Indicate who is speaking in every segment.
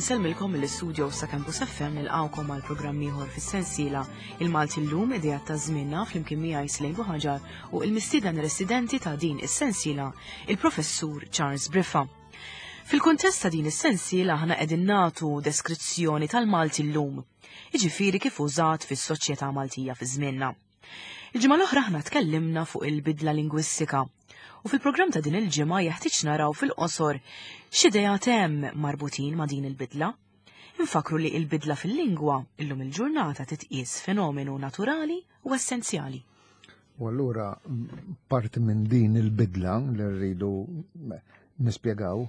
Speaker 1: Insellmilkom mill-istudio sa' Campus FM nilqawkom għal programm ieħor fis-sensiela Il-Malti llum idea ta' żmienna flimkien miegħi Slejn Buħaġar u il-mistieden residenti ta' din is-sensiela, il-Professur Charles Briffa. Fil-kuntest ta' din is-sensiela aħna qegħdin nagħtu deskrizzjoni tal-Malti llum, jiġifieri kif użat fis-soċjetà Maltija fi żmienna. Il-ġimgħa l-oħra aħna tkellimna fuq il-bidla lingwistika u fil-programm ta' din il-ġimgħa jeħtieġ naraw fil-qosor x'ideat hemm marbutin ma' din il-bidla. Infakru li il-bidla fil-lingwa illum il-ġurnata titqies fenomenu naturali u essenzjali.
Speaker 2: U allura parti minn din il-bidla li rridu nispjegaw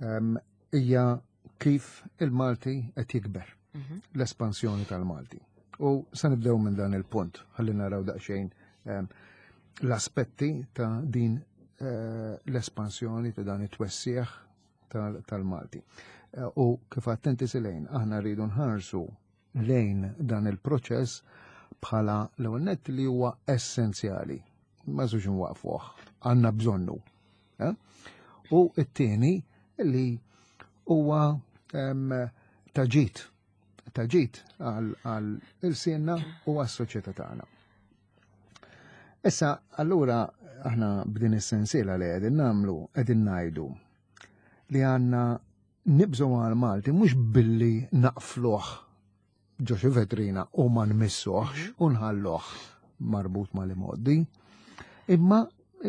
Speaker 2: ehm, hija kif il-Malti qed jikber, mhm. l-espansjoni tal-Malti. U se nibdew minn dan il-punt, ħalli naraw daqsxejn ehm, l-aspetti ta' din eh, l-espansjoni ta' dan it-twessieħ tal-Malti. Eh, u kif attenti silejn, aħna rridu nħarsu lejn dan il-proċess bħala l-ewwel nett li huwa essenzjali. Ma żux nwaqfuh, għandna bżonnu. Eh? U t-tieni li huwa taġit, taġit għal il-sinna u għas-soċjetà tagħna. Issa, allura aħna b'din is-sensiela li qegħdin nagħmlu qegħdin ngħidu li għandna nibżgħu għal Malti mhux billi naqfluh ġo xi vetrina u ma nmissuhx mhm. u nħalluh marbut mal-imoddi, imma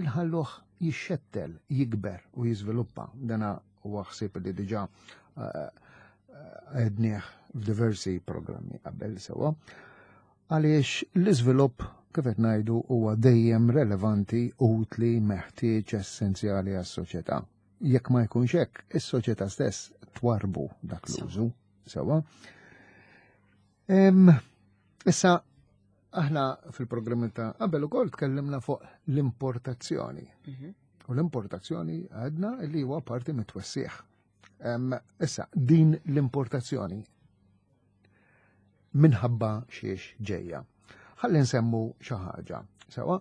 Speaker 2: nħalluh jixxettel, jikber u jiżviluppa. Dana huwa ħsieb li diġà eh, eh, għednieh f'diversi programmi qabel sewa. Għaliex l-iżvilupp kif qed ngħidu huwa dejjem relevanti, utli, meħtieġ, essenzjali għas-soċjetà. Jekk ma jkunx hekk, is-soċjetà stess twarbu dak l-użu. Sewa. Issa, aħna fil-programmi ta' qabel ukoll tkellimna fuq l-importazzjoni. Mhm. U l-importazzjoni għadna li huwa parti mit-twessieħ. Issa, din l-importazzjoni minħabba xiex ġejja. Ħalli nsemmu xi ħaġa. Sewa,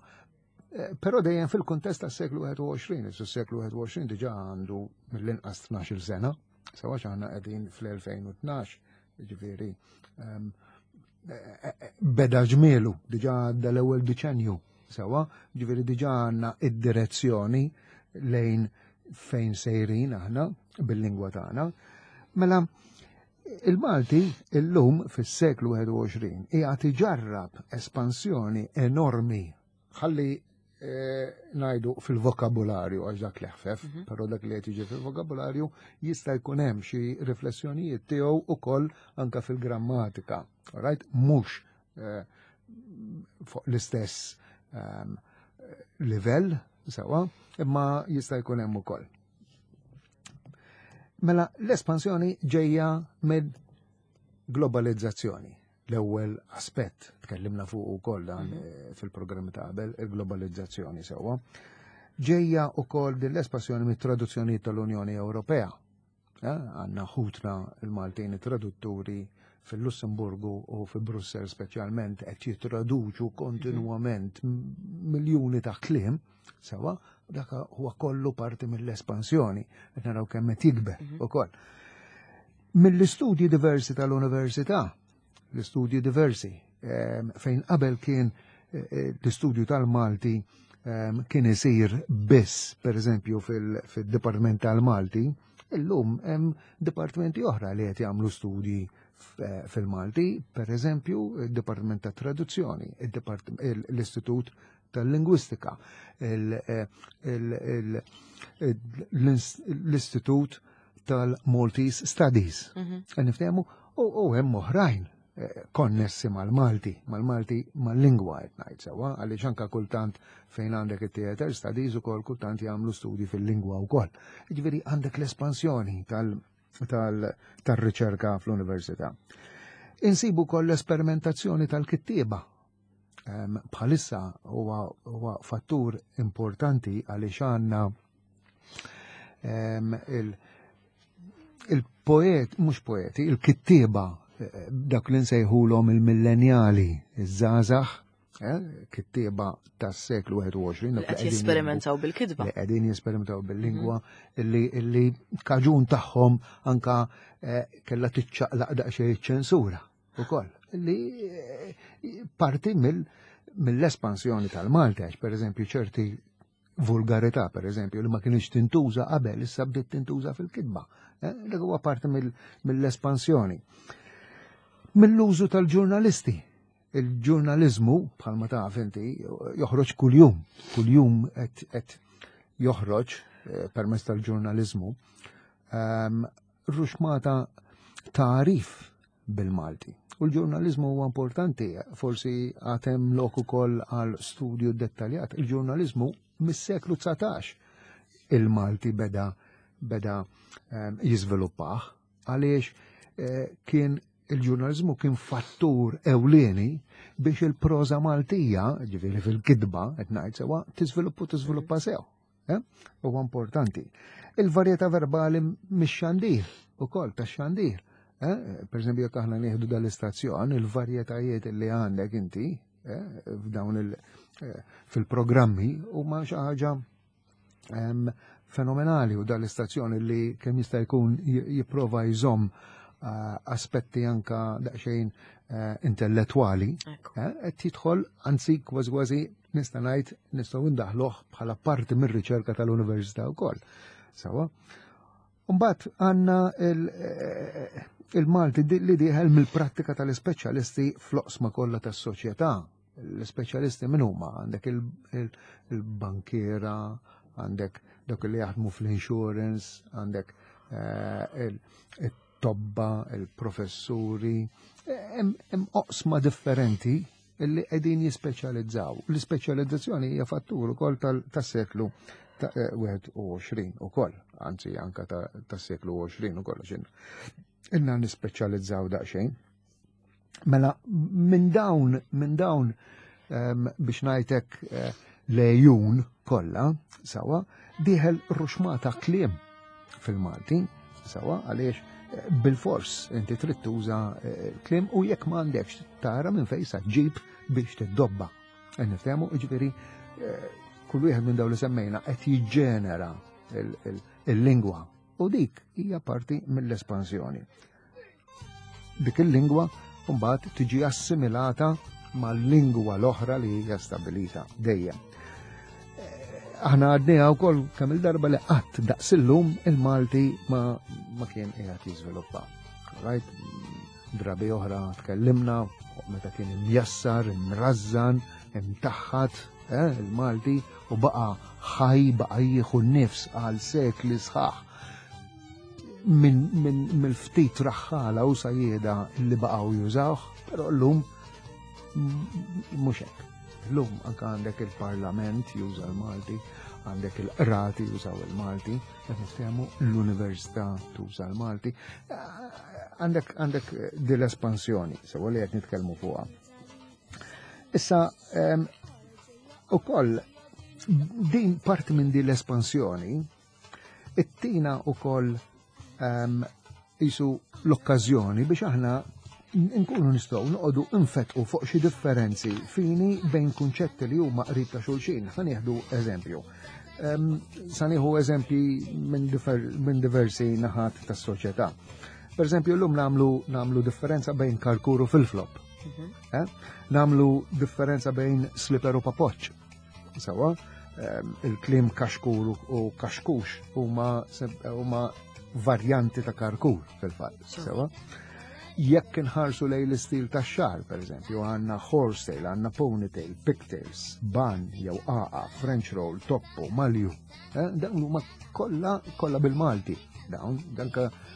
Speaker 2: eh, però dejjem fil-kuntest tas-seklu 21, is-seklu 21 diġà għandu mill-inqas 12 sena, sewa x'aħna qegħdin fl-2012, ġifieri ehm, eh, eh, beda ġmielu, diġà għadda l-ewwel diċenju, sewa, ġifieri diġà għandna id-direzzjoni lejn fejn sejrin aħna bil-lingwa tagħna. Mela, Il-Malti illum fis-seklu 21 qiegħed iġarrab espansjoni enormi ħalli eh, ngħidu fil-vokabularju għax dak li ħfef, mhm. però dak li qed jiġi fil-vokabularju jista' jkun hemm xi riflessjonijiet tiegħu ukoll anke fil-grammatika. Right? Mhux eh, fuq l-istess ehm, livell sewa, imma jista' jkun hemm ukoll. Mela l-espansjoni ġejja minn globalizzazzjoni. L-ewwel aspett tkellimna fuq ukoll dan mhm. eh, fil-programmi ta' qabel, il-globalizzazzjoni sewwa. Ġejja ukoll din l-espansjoni mit-traduzzjoni tal-Unjoni Ewropea. Eh, għandna ħutna il-Maltin tradutturi fil-Lussemburgu u fi Brussel speċjalment qed jittraduċu kontinwament miljuni ta' kliem Sewa, dak huwa kollu parti mill-espansjoni, qed naraw kemm qed jikber mhm. ukoll. Mill-istudji diversi tal-università, l-istudji diversi, ehm, fejn qabel kien eh, eh, l-istudju tal-Malti ehm, kien isir biss, per eżempju, fil-Dipartiment tal-Malti, illum hemm dipartimenti oħra li qed jagħmlu studji eh, fil-Malti, per eżempju, il-Dipartiment ta' Traduzzjoni, l-Istitut tal-Lingwistika, l-Istitut tal-Maltese Studies. Mhm. Niftehmu u hemm oħrajn eh, konnessi mal-Malti, mal-Malti mal-lingwa qed ngħid sewwa, għaliex anke kultant fejn għandek it-theater studies ukoll kultant jagħmlu studji fil-lingwa wkoll. Jiġifieri għandek l-espansjoni tal-riċerka fl-università. Insibu koll l-esperimentazzjoni tal-kittieba bħalissa huwa fattur importanti għaliex għandna il-poet, mhux poeti, il-kittieba eh, dak li nsejħulhom il-millenjali, iż-żgħażagħ. Kittieba tas-seklu 21.
Speaker 1: Li qed jesperimentaw bil-kitba.
Speaker 2: Li qegħdin jesperimentaw bil-lingwa, illi kaġun tagħhom anka kellha tiċċaqlaq daqsxejn ċensura ukoll. Illi parti mill-espansjoni tal-Malti, għax pereżempju ċerti vulgarità, per eżempju, li ma kienx tintuża qabel, issa bdiet tintuża fil-kitba. Dak huwa parti mill-espansjoni. Mill-użu tal-ġurnalisti. Il-ġurnalizmu, bħalma taf inti, joħroġ kuljum. Kuljum qed joħroġ permezz tal-ġurnalizmu. Ruxmata tarif bil-Malti. U l-ġurnalizmu huwa importanti, forsi għatem lok ukoll għal studju dettaljat. Il-ġurnalizmu mis-seklu 19 il-Malti beda jiżviluppah, għaliex kien il-ġurnalizmu kien fattur ewlieni biex il-proża Maltija, ġifieri fil-kitba, qed ngħid sewwa, tiżviluppu tiżviluppa sew. Huwa importanti. Il-varjetà verbali mix-xandir, ukoll tax-xandir. Per eżempju, jekk aħna nieħdu dal-istazzjon, il-varjetajiet li għandek inti f'dawn fil-programmi huma xi ħaġa fenomenali, u dal-istazzjon li kemm jista' jkun jipprova jżomm aspetti anka daqsxejn intellettwali, qed jidħol, anzi kważi kważi nista' ngħid nistgħu ndaħluh bħala parti mir-riċerka tal-università wkoll. Sawa. Mbagħad għandna il-Malti li dieħel mill-prattika tal-ispeċjalisti fl-oqsma kollha tas-soċjetà. L-ispeċjalisti min huma? Għandek il-bankiera, għandek dawk li jaħdmu fl-insurance, għandek it-tobba, il-professuri, hemm oqsma differenti illi qegħdin jispeċjalizzaw. L-ispeċjalizzazzjoni hija fattur ukoll tas-seklu ta' 21 ukoll, anzi anka tas-seklu 20 ukoll, għax ilna nispeċjalizzaw daqsxejn. Mela minn dawn biex ngħidlek lejun kollha sawa dieħel ruxmata kliem fil-Malti sawa, għaliex bil-fors inti trid tuża kliem, u jekk ma għandekx tara minn fejn sa ġib biex tiddobba. Qed niftehmu, jiġifieri kull wieħed minn dawn li semmejna qed jiġġenera il-lingwa, u dik hija parti mill-espansjoni. Dik il-lingwa mbagħad tiġi assimilata mal-lingwa l-oħra li hija stabilita dejjem. Aħna għadniha wkoll kemm il-darba li qatt daqs illum il-Malti ma kien qiegħed jiżviluppa. Right? Drabi oħra tkellimna meta kien imjassar, imrażżan, imtaħħat il-Malti, u baqa' ħaj, baqa' jieħu n-nifs għal sekli sħaħ mill-ftit raħħala u sajjeda li baqgħu jużawh, però llum mhux hekk. Llum anke għandek il-Parlament juża l-Malti, għandek il-qrati jużaw il-Malti, qed niftehmu l-Università tuża l-Malti. Għandek din l-espansjoni, sewa li qed nitkellmu fuqha. Issa, ukoll din parti minn din l-espansjoni ittina ukoll jisu l-okkażjoni biex aħna nkunu nistgħu noqogħdu nfetqu fuq xi differenzi fini bejn kunċetti li huma qrib ta' xulxin. Ħa nieħdu eżempju. Sa nieħu eżempji minn diversi naħat tas-soċjetà. Per eżempju, llum nagħmlu differenza bejn karkur u fil-flop. Nagħmlu differenza bejn slipper u papoċċ. Sawa, il-kliem kaxkur u kaxkux huma varjanti ta' karkur fil-fatt. Sawa. Jekk inħarsu lejn l-istil tax-xagħar, per eżempju, għandna horsetail, għandna ponytail, pigtails, ban jew aqa, French roll, toppo, malju. Dawn huma kollha bil-Malti. Dawn,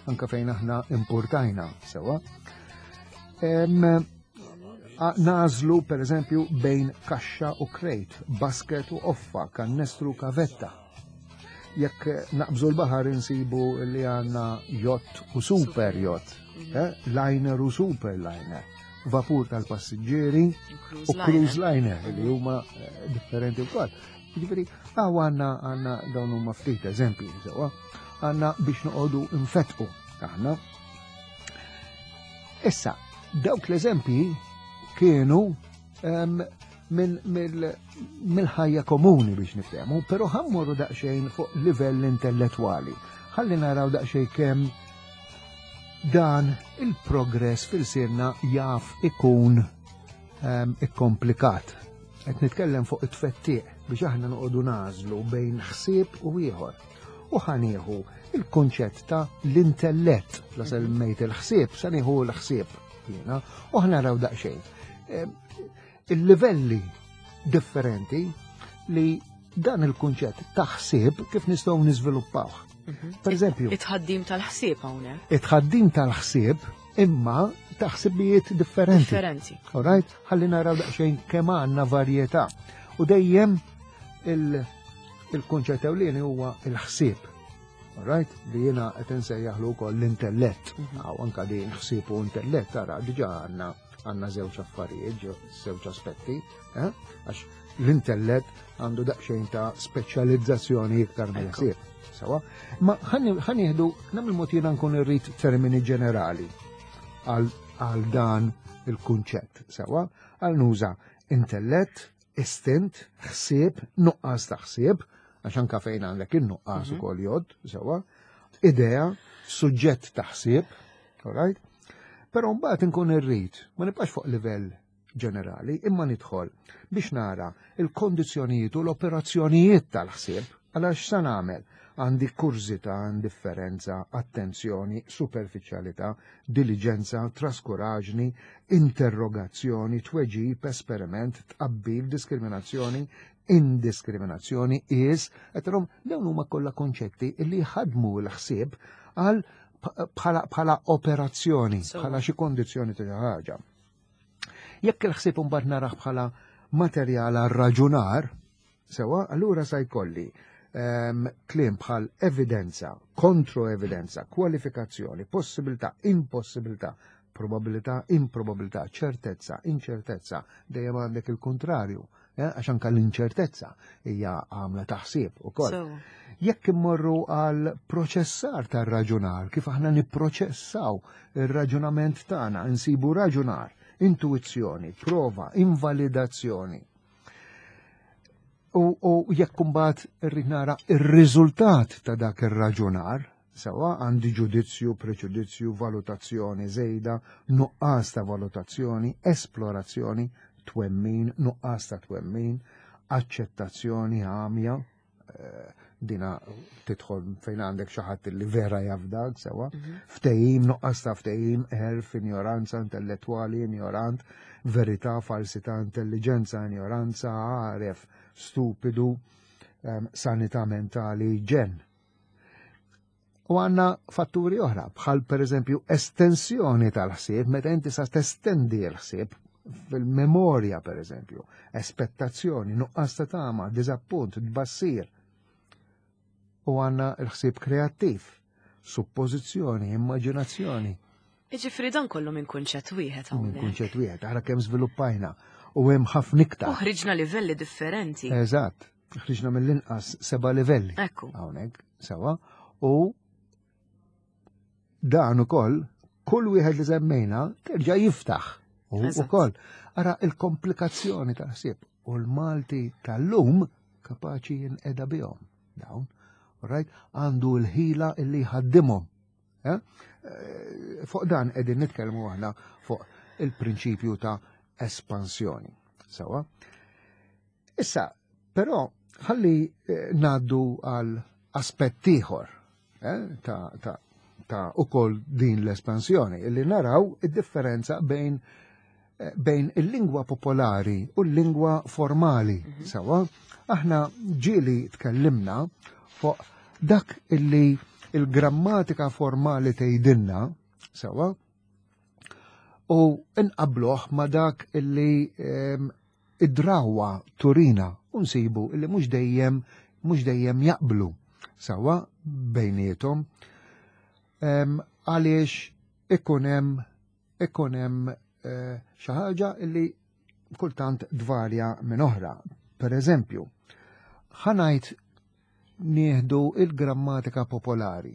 Speaker 2: anka fejn aħna importajna, sewa. Nażlu, per eżempju, bejn kaxxa u crate, basket u offa, kannestru u kavetta. Jekk naqbżu l-baħar insibu li għandna yacht u super yacht, liner u super liner, vapur tal-passiġġieri u cruise liner li huma differenti wkoll. Jiġifieri, hawn għandna dawn huma ftit eżempji, sewwa, għandna biex noqogħdu nfetqu aħna. Issa, dawk l-eżempji kienu mill-ħajja komuni biex niftehmu, però ħa mmorru daqsxejn fuq livell intellettwali. Ħalli naraw daqsxejn kemm dan il-progress fil-sirna jaf ikun ikkomplikat. Qed nitkellem fuq it-tfettiq biex aħna noqogħdu nażlu bejn ħsieb u ieħor. U ħanieħu il-kunċett ta' l-intellett, la semmejt il-ħsieb, sa nieħu l-ħsieb jiena, u ħnaraw daqsxejn. Il-livelli differenti li dan il-kunċett ta' ħsieb kif nistgħu niżviluppawh. Per eżempju,
Speaker 1: it-ħaddim tal-ħsieb hawnhekk.
Speaker 2: It-ħaddim tal-ħsieb imma ta' ħsibijiet differenti.
Speaker 1: Differenti.
Speaker 2: All right? Ħalli naraw daqsxejn kemm għandna varjetà. U dejjem il-kunċett ewlieni huwa il-ħsieb. All right? Li jiena qed insejjaħlu wkoll l-intellett. Aw anka din ħsieb u intellett tara diġà għandna għandna żewġ affarijiet, żewġ aspetti, eh? għax l-intellett għandu daqsxejn ta' speċjalizzazzjoni iktar mill-ħsieb. Sawa? Ma ħanieħdu nagħmel mod jiena nkun irrid termini ġenerali għal dan il-kunċett. Sawa? Għal nuża intellett, istint, ħsieb, nuqqas ta' ħsieb, għax anka fejn għandek in-nuqqas ukoll jgħodd, sewa, idea, suġġett ta' ħsieb, all right? Però mbagħad inkun irrid, ma nibqax fuq livell ġenerali, imma nidħol biex nara il-kondizzjonijiet u l-operazzjonijiet tal-ħsieb, għalax sa nagħmel għandi kurżità, indifferenza, attenzjoni, superfiċjalità, diliġenza, traskuraġni, interrogazzjoni, tweġib, esperiment, tqabbil, diskriminazzjoni, indiskriminazzjoni, is, qed dawn huma kollha konċetti li jħadmu l-ħsieb għal bħala operazzjoni, bħala xi kondizzjoni ta' ħaġa. Jekk il-ħsieb imbagħad narah bħala materjal għal raġunar, sewa, allura sa jkolli kliem bħal evidenza, kontroevidenza, kwalifikazzjoni, possibilità, impossibilità, probabilità, improbabilità, ċertezza, inċertezza, dejjem għandek il-kontrarju, għax anka l-inċertezza hija għamla ta' ħsieb ukoll. Jekk immorru għal proċessar tar-raġunar, kif aħna nipproċessaw ir-raġunament tagħna, insibu raġunar, intuizzjoni, prova, invalidazzjoni. U jekk imbagħad irrid nara ir-riżultat ta' dak ir-raġunar, sewa għandi ġudizzju, preġudizzju, valutazzjoni żejda, nuqqas ta' valutazzjoni, esplorazzjoni, twemmin, nuqqas ta' twemmin, aċċettazzjoni għamja, dina tidħol fejn għandek xi ħadd li vera jafdak sewa, ftehim, nuqqas ta' ftehim, għerf, ignoranza intellettwali, ignorant, verità, falsità, intelligenza, ignoranza, għaref, stupidu, sanità mentali, ġen. U għanna fatturi oħra, bħal per eżempju estensjoni tal-ħsieb, meta inti sa testendi l-ħsieb fil-memorja per eżempju, aspettazzjoni, nuqqas ta' tama, diżappunt, tbassir. U għanna l-ħsieb kreattiv, suppożizzjoni, immaġinazzjoni.
Speaker 1: Jiġifieri dan kollu minn kunċett wieħed
Speaker 2: hawnhekk. Minn kunċett wieħed, ara kemm żviluppajna u hemm ħafna iktar.
Speaker 1: U ħriġna livelli differenti.
Speaker 2: Eżatt, ħriġna mill-inqas 7 livelli.
Speaker 1: Ekku.
Speaker 2: Hawnhekk, sewa. U dan ukoll kull wieħed li semmejna terġa' jiftaħ. U ukoll ara il-komplikazzjoni tal-ħsieb u l-Malti tal-lum kapaċi jinqeda bihom dawn. Right? Għandu l-ħila illi jħaddimhom. Eh? Fuq dan qegħdin nitkellmu aħna fuq il-prinċipju ta' espansjoni. Sewa. Issa, però ħalli ngħaddu għal aspett ieħor ta', ta, ta' ukoll din l-espansjoni, illi naraw id-differenza bejn il-lingwa popolari u l-lingwa formali. Sewa, aħna ġieli tkellimna fuq dak illi il-grammatika formali tgħidilna, sewa, u nqabluh ma dak illi id-drawa turina u nsibu illi mhux dejjem jaqblu sewa bejniethom, għaliex ikun hemm xi ħaġa illi kultant dvarja minn oħra. Per eżempju, ħanajt nieħdu il-grammatika popolari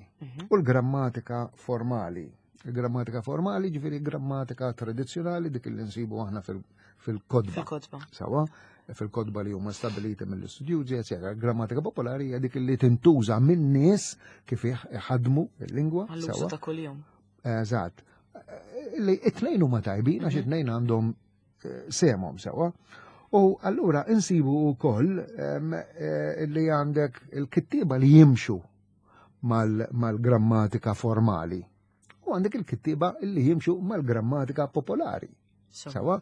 Speaker 2: u l-grammatika formali. Il-grammatika formali, ġifieri grammatika tradizzjonali dik li nsibu aħna fil-kodba.
Speaker 1: Fil-kodba.
Speaker 2: Sawa, fil-kodba li huma stabiliti mill-istudjużi, eccetera. Grammatika popolari hija dik li tintuża minn nies kif iħadmu il-lingwa.
Speaker 1: Għall-użu ta' kuljum.
Speaker 2: Eżatt. Li it-tnejn huma tajbin għax mhm. it-tnejn għandhom eh, semhom sewa. U allura insibu wkoll eh, li għandek il-kittieba li jimxu mal-grammatika formali. U għandek il-kittieba li jimxu mal-grammatika popolari. Sewa,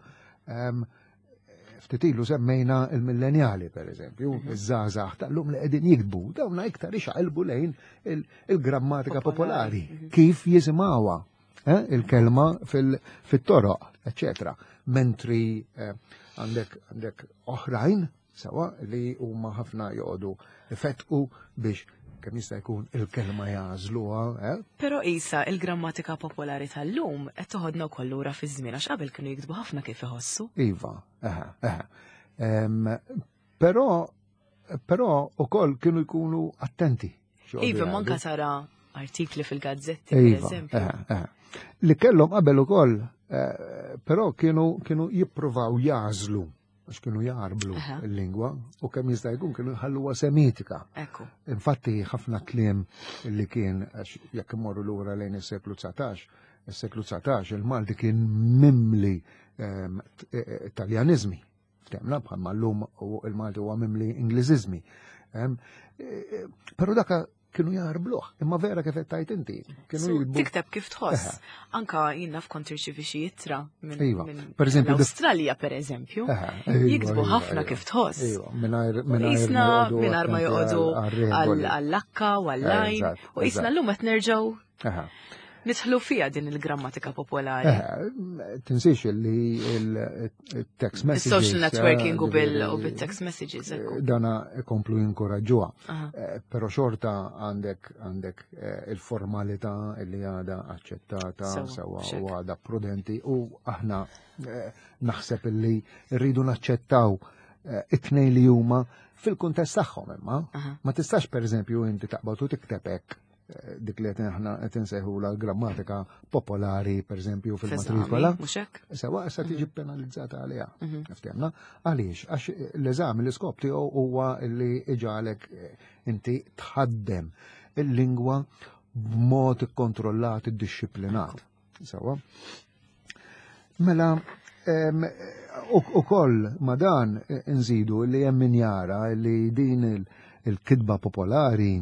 Speaker 2: ftit ilu semmejna il-millenjali, per eżempju, mhm. iż-żgħażagħ tal-lum li qegħdin jiktbu, dawna iktar ixaqilbu lejn il-grammatika popolari, mhm. kif jisimgħuha eh, il-kelma fil-toroq, eccetera. Mentri eh, għandek għandek oħrajn Sewa li huma ħafna joqogħdu ifettqu biex kemm jista' jkun il-kelma jagħżluha. Eh?
Speaker 1: Però isa il-grammatika popolari tal-lum qed toħodna wkoll lura fiż-żmien għax qabel kienu jiktbu ħafna kif iħossu.
Speaker 2: Iva, eħe, eħe. Però però ukoll kienu jkunu attenti.
Speaker 1: Iva, manka tara artikli fil-gazzetti, per iva, eżempju.
Speaker 2: Li kellhom qabel ukoll, eh, però kienu kienu jippruvaw jażlu għax kienu jarblu il-lingwa u kemm jista' jkun kienu jħalluha semitika.
Speaker 1: Ekku.
Speaker 2: Infatti ħafna kliem li kien għax jekk imorru lura lejn is-seklu 19, is-seklu 19 il-Malti kien mimli ehm, e, e, Taljanizmi. Ftemna bħalma llum il-Malti huwa mimli Ingliżiżmi. Ehm, e, però daka kienu jarbluh, imma vera kif qed tgħid inti.
Speaker 1: Kienu jibbu. Tikteb kif tħoss. Anka jien naf kont irċivi xi ittra minn
Speaker 2: iva. Per eżempju,
Speaker 1: l-Awstralja per eżempju. Iva, jiktbu iva, ħafna iva. kif tħoss.
Speaker 2: Iva, mingħajr mingħajr
Speaker 1: ma joqogħdu għall-lakka u għall-lajn. U jisna llum qed nerġgħu Nidħlu fija din il-grammatika popolari.
Speaker 2: Eh, tinsiex li il-text messages.
Speaker 1: Social networking u bil-text messages.
Speaker 2: Eh, dana komplu jinkoraġġuha. Eh, però xorta għandek għandek il-formalità li għada aċċettata sewa u għada prudenti u aħna naħseb li rridu naċċettaw it-tnejn li huma fil-kuntest tagħhom imma. Ma tistax pereżempju inti taqbad u tikteb hekk dik li aħna qed insejħula l-grammatika popolari, pereżempju fil-matrikola. Sewa issa tiġi mhm. penalizzata għaliha. Mhm. Ftehmna? Għaliex? Għax l-eżami l-iskop tiegħu huwa li iġalek eh, inti tħaddem il-lingwa b'mod ikkontrollat, iddixxiplinat. Sewa. Mela, u koll ma dan nżidu li hemm min jara li din il-kidba popolari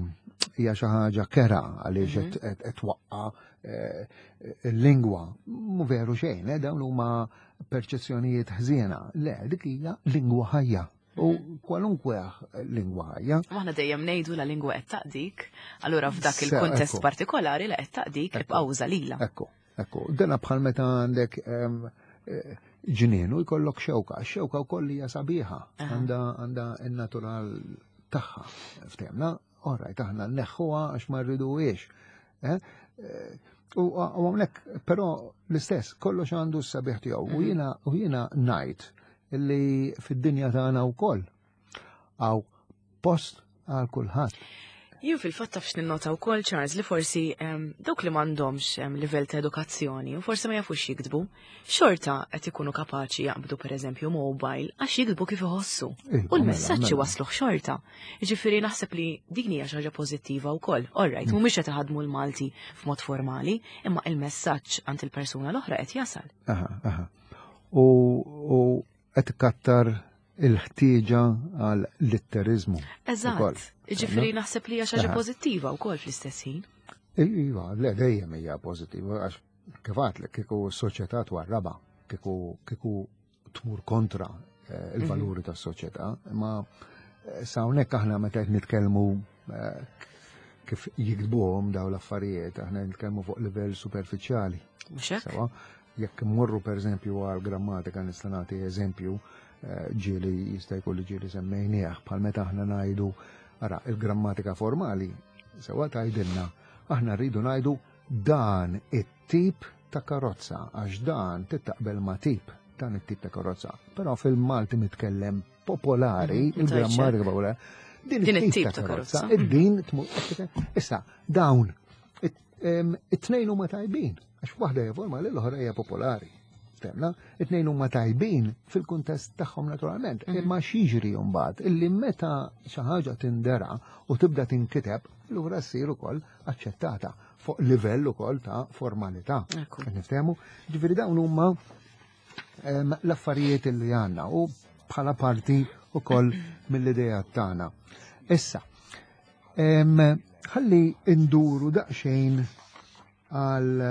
Speaker 2: hija xi ħaġa kera għaliex mhm. qed twaqqa eh, il-lingwa. Mu veru xejn, eh, dawn huma perċezzjonijiet ħżiena. Le, dik hija lingwa ħajja. U mhm. kwalunkwe lingwa ħajja.
Speaker 1: Aħna dejjem ngħidu la lingwa qed taqdik, allura f'dak il-kuntest partikolari la qed taqdik ibqa' uża lilha.
Speaker 2: Ekku. Ekku, dena bħal meta għandek eh, ġnien u jkollok xewka, xewka wkoll hija sabiħa, għandha għandha n-natural tagħha. Ftehmna, orajt aħna nneħħuha għax ma rriduhiex. Eh? Eh, u hawnhekk però l-istess, kollox għandu s-sabiħ tiegħu. U mhm. jiena u jiena ngħid li fid-dinja tagħna wkoll għaw post għal kulħadd.
Speaker 1: Jien fil-fatt taf x'ninnota wkoll Charles li forsi dawk li m'għandhomx livell ta' edukazzjoni u forsi ma jafux jiktbu, xorta qed ikunu kapaċi jaqbdu pereżempju mobile għax jiktbu kif iħossu.
Speaker 2: Iva,
Speaker 1: U l-messaġġ
Speaker 2: mela, mela.
Speaker 1: wasluh xorta. Jiġifieri naħseb li din hija xi ħaġa pożittiva wkoll. All right, mhumiex qed iħadmu l-Malti f'mod formali, imma il-messaġġ għand il-persuna l-oħra qed jasal.
Speaker 2: Aha, aha. U qed ikattar il-ħtieġa għal litteriżmu.
Speaker 1: Eżatt. Jiġifieri naħseb li hija xi ħaġa pożittiva wkoll fl-istess ħin.
Speaker 2: Iva, le dejjem hija pożittiva għax kif għadlek kieku s-soċjetà twarraba, kieku kieku tmur kontra eh, il-valuri mhm. tas-soċjetà, imma eh, sa hawnhekk aħna meta qed nitkellmu eh, kif jiktbuhom daw l-affarijiet, aħna nitkellmu fuq livell superfiċjali.
Speaker 1: Mhux hekk?
Speaker 2: Jekk immorru pereżempju għal grammatika nista' nagħti eżempju eh, ġieli jista' jkun li ġieli semmejnieh bħal meta aħna ngħidu ara il-grammatika formali sewa tgħidilna aħna rridu ngħidu dan it-tip ta' karozza għax dan tittaqbel ma' tip dan it-tip ta' karozza. Però fil-Malti mitkellem popolari, mhm, il-grammatika popolari, din it-tip ta' karozza, din issa dawn it-tnejn huma tajbin. Għax waħda hija formali, l-oħra hija popolari. Temna, it-tnejn huma tajbin fil-kuntest tagħhom naturalment, mhm. imma x'jiġri mbagħad illi meta xi ħaġa tindera u tibda tinkiteb, lura ssir ukoll aċċettata fuq livell ukoll ta' formalità. Niftehmu, ġifieri dawn huma l-affarijiet li għandna u bħala parti ukoll mill-idea tagħna. Issa, ħalli induru daqsxejn għal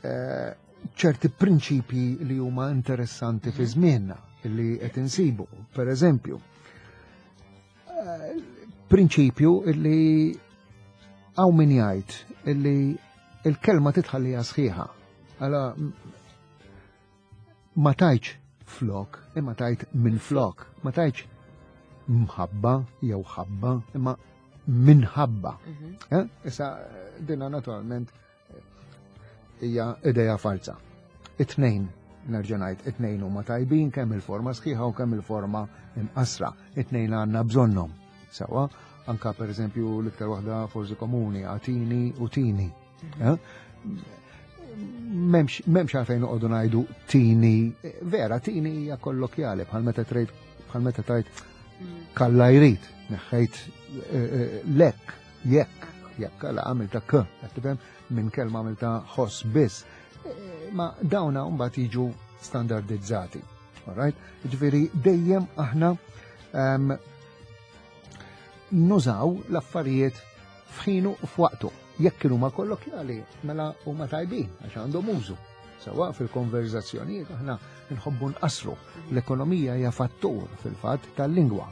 Speaker 2: eh, ċerti prinċipji li huma interessanti fi żmienna li qed insibu. Per eżempju, eh, prinċipju li hawn min jgħid li il-kelma titħallija sħiħa. Għala ma tajċ flok, imma tajt minn flok, ma tajċ mħabba jew ħabba, imma minħabba. Mhm. Eh? Issa dinna naturalment eh, hija ideja falsa. It-tnejn, nerġa' ngħid, it-tnejn huma tajbin kemm il-forma sħiħa u kemm il-forma imqasra. It-tnejn għandna bżonnhom. Sewa, anka pereżempju l-iktar waħda forsi komuni, għatini u tini. Mhm. Eh? Memx, memx għalfejn noqogħdu ngħidu tini, vera tini hija kollokjali bħal meta trejt bħal meta tajt mm. kalla jrid, neħħejt eh, eh, lek, jekk, jekk għala għamilta k, qed tifhem minn kelma għamilta ħoss biss. Ma dawna mbagħad jiġu standardizzati. Alright? Ġifieri dejjem aħna ehm, nużaw l-affarijiet f'ħinu u f'waqtu. Jekk kienu ma kollokjali, mela huma tajbin għax għandhom użu. Sawa fil-konverzazzjonijiet aħna nħobbu nqasru. L-ekonomija hija fattur fil-fatt tal-lingwa.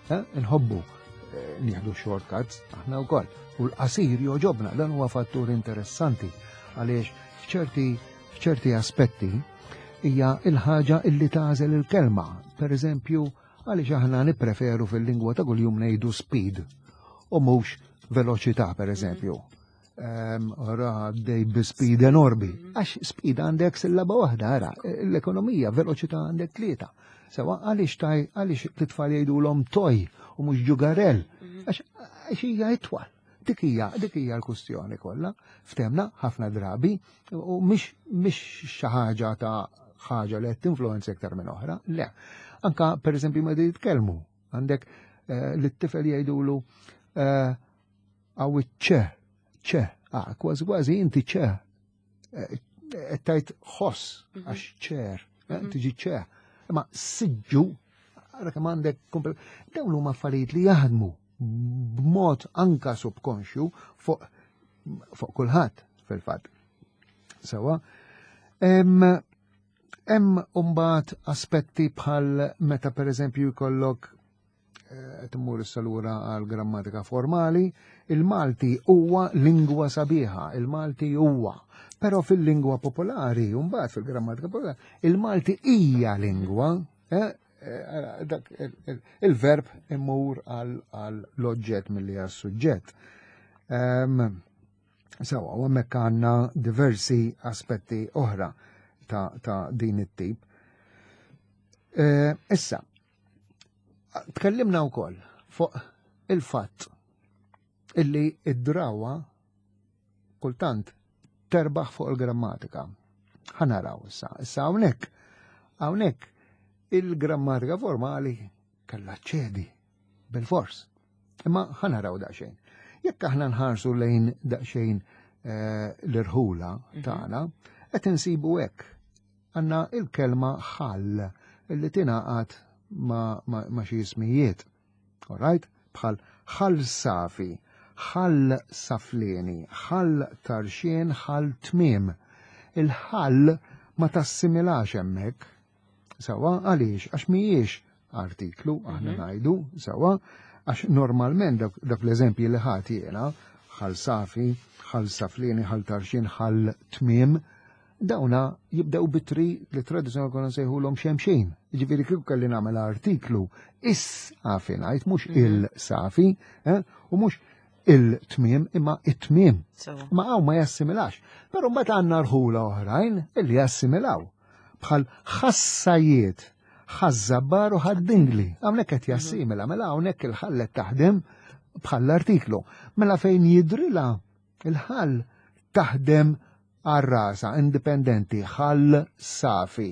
Speaker 2: Eh, nħobbu eh, nieħdu shortcuts aħna wkoll. U l-qasir joġobna dan huwa fattur interessanti għaliex f'ċerti f'ċerti aspetti hija il-ħaġa illi tagħżel il-kelma. Per eżempju, Għaliex aħna nippreferu fil-lingwa ta' kuljum ngħidu speed u mhux veloċità pereżempju. Ora għaddej bi speed enormi. Mhm. Għax speed għandek sillaba waħda, ara, l-ekonomija, veloċità għandek tlieta. Sewa għaliex taj, għaliex t-tfal jgħidulhom toj u mhux ġugarell. Mhm. Għax hija itwal. Dik hija dik hija l-kustjoni kollha. Ftemna ħafna drabi u mhix mhix xi ħaġa ta' ħaġa li qed tinfluwenza iktar minn oħra, le. Anka pereżempju meta jitkellmu, għandek eh, li t-tifel jgħidulu eh, għaw ċe, ċe, ah, kważi kważi inti ċe, eh, qed tgħid ħoss mhm. għax ċer, mhm. tiġi ċe. Imma siġġu, għara kemm għandek dawn huma affarijiet li jaħdmu b'mod anka subkonxju fuq fuq kulħadd fil-fatt. Sewa. Hemm mbagħad aspetti bħal meta pereżempju jkollok eh, qed immur issa lura għal grammatika formali, il-Malti huwa lingwa sabiħa, il-Malti huwa. Però fil-lingwa popolari, mbagħad fil-grammatika popolari, il-Malti hija lingwa, eh, Eh, dak il-verb imur għal l-oġġett milli għal suġġett. Ehm, sawa, u hemmhekk għandna diversi aspetti oħra ta' din it-tip. Eh, issa, tkellimna wkoll fuq il-fatt illi id-drawa kultant terbaħ fuq il-grammatika. Ħanaraw issa. Issa hawnhekk hawnhekk il-grammatika formali kellha ċedi bil-fors. Imma ħanaraw daqsxejn. Jekk aħna nħarsu lejn daqsxejn eh, l-irħula mhm. tagħna, qed insibu hekk. Għandna il-kelma ħall illi tingħaqad ma', ma, ma xi ismijiet. Alright? Bħal ħall safi, ħall saflieni, ħall tarxien, ħall tmiem. Il-ħall ma tassimilax hemmhekk. Sawa, għaliex? Għax mhijiex artiklu, aħna mhm. ngħidu, sawa, għax normalment dak l-eżempji li ħadd jiena, ħall safi, ħall saflieni, ħall tarxien, ħall tmiem, Dawna jibdew bitri li tradizzjonali konna nsejħulhom xemxin. Jiġifieri kieku kelli nagħmel artiklu is-safi ngħid mhux mhm. il-safi, eh, u mhux il-tmiem imma it-tmiem. Ma hawn ma jassimilax. Però mbagħad għandna rħula oħrajn illi jassimilaw. Bħal ħassajiet, ħażabbar u ħaddingli. Hawnhekk qed mhm. jassimila, mela hawnhekk il-ħallet taħdem bħall-artiklu. Mela fejn jidrila il-ħall taħdem għal rasha, indipendenti, ħal safi.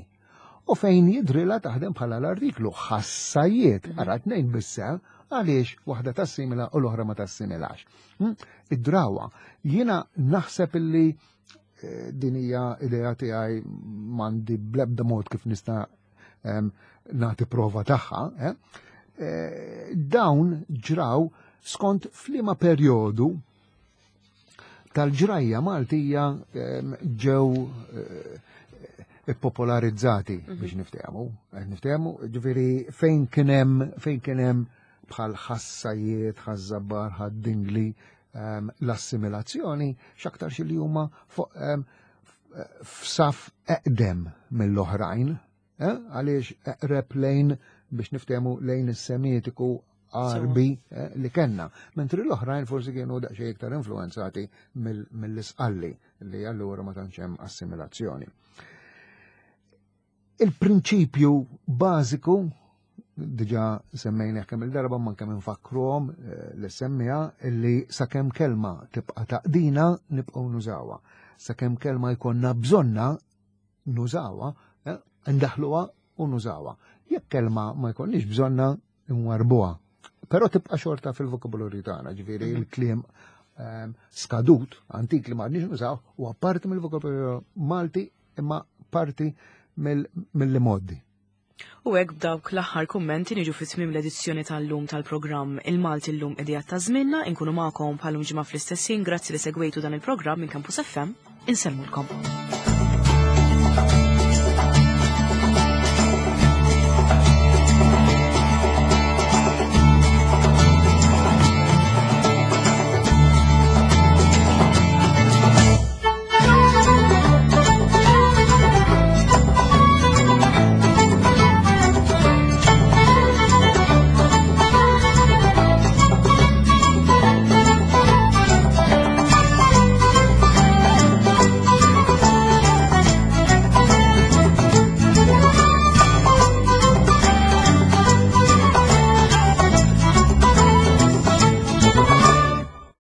Speaker 2: U fejn jidrilha taħdem bħala l-artiklu ħassajiet, mhm. ara tnejn bissa, għaliex waħda tassimila u l-oħra ma tassimilax. Hm? Id-drawa, jiena naħseb illi eh, din hija idea tiegħi m'għandi bl-ebda mod kif nista' nagħti prova tagħha, eh? Eh, dawn ġraw skont f'liema perjodu tal-ġrajja Maltija ġew eh, popolarizzati mhm. biex niftehmu. Eh, niftehmu, ġifieri fejn kien hemm fejn kien hemm bħal ħassajiet, ħażabbar, ħaddingli, l-assimilazzjoni x'aktarx li huma fuq f'saf eqdem mill-oħrajn, eh, għaliex eqreb lejn biex niftehmu lejn is-Semitiku Għarbi eh, li kenna. Mentri l-oħrajn forsi kienu daqsxejn iktar influenzati mill-isqalli li allura ma tantx hemm assimilazzjoni. Il-prinċipju bażiku diġa semmejna kemm il-darba ma kemm infakkruhom eh, li semmija li sakemm kelma tibqa' taqdina nibqgħu nużawha. Sakemm kelma jkollna bżonna nużawha, eh, ndaħluha u nużawha. Jekk kelma ma jkollniex bżonna nwarbuha. Però tibqa' xorta fil-vokabularju tagħna, ġifieri mhm. il-kliem ehm, skadut, antik li ma għadniex nużaw, huwa parti mill-vokabularju Malti imma parti mill-modi.
Speaker 1: U hekk b'dawk l-aħħar kummenti niġu fi tmiem l-edizzjoni tal-lum tal-programm Il-Malti llum idejat ta' żmienna, inkunu magħkom bħalum ġimgħa fl-istess ħin, grazzi li segwejtu dan il-programm minn Campus FM, insellmulkom.